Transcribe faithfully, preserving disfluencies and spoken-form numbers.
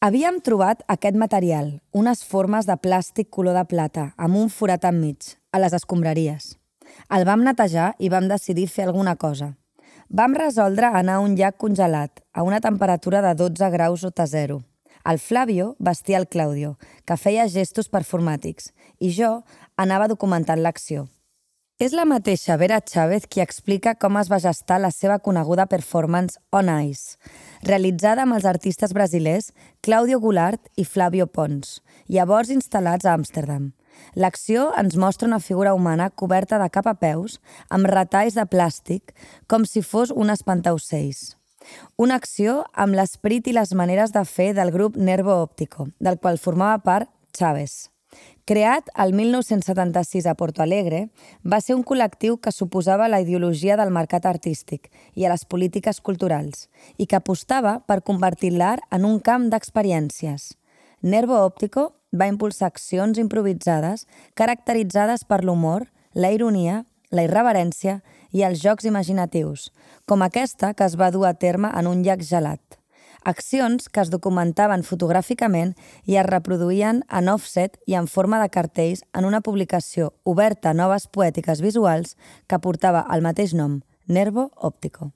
Havíem trobat aquest material, unes formes de plàstic color de plata, amb un forat enmig, a les escombraries. El vam netejar i vam decidir fer alguna cosa. Vam resoldre anar a un llac congelat, a una temperatura de dotze graus sota zero. El Flavio vestia el Claudio, que feia gestos performàtics, i jo anava documentant l'acció. És la mateixa Vera Chávez qui explica com es va gestar la seva coneguda performance On Ice, realitzada amb els artistes brasilers Claudio Goulart i Flavio Pons, llavors instal·lats a Amsterdam. L'acció ens mostra una figura humana coberta de cap a peus, amb retalls de plàstic, com si fos un espantaocells. Una acció amb l'esperit i les maneres de fer del grup Nervo Óptico, del qual formava part Chávez. Creat el mil nou-cents setanta-sis a Porto Alegre, va ser un col·lectiu que s'oposava a la ideologia del mercat artístic i a les polítiques culturals, i que apostava per convertir l'art en un camp d'experiències. Nervo Óptico va impulsar accions improvisades caracteritzades per l'humor, la ironia, la irreverència i els jocs imaginatius, com aquesta que es va dur a terme en un llac gelat. Accions que es documentaven fotogràficament i es reproduïen en offset i en forma de cartells en una publicació oberta a noves poètiques visuals que portava el mateix nom, Nervo Óptico.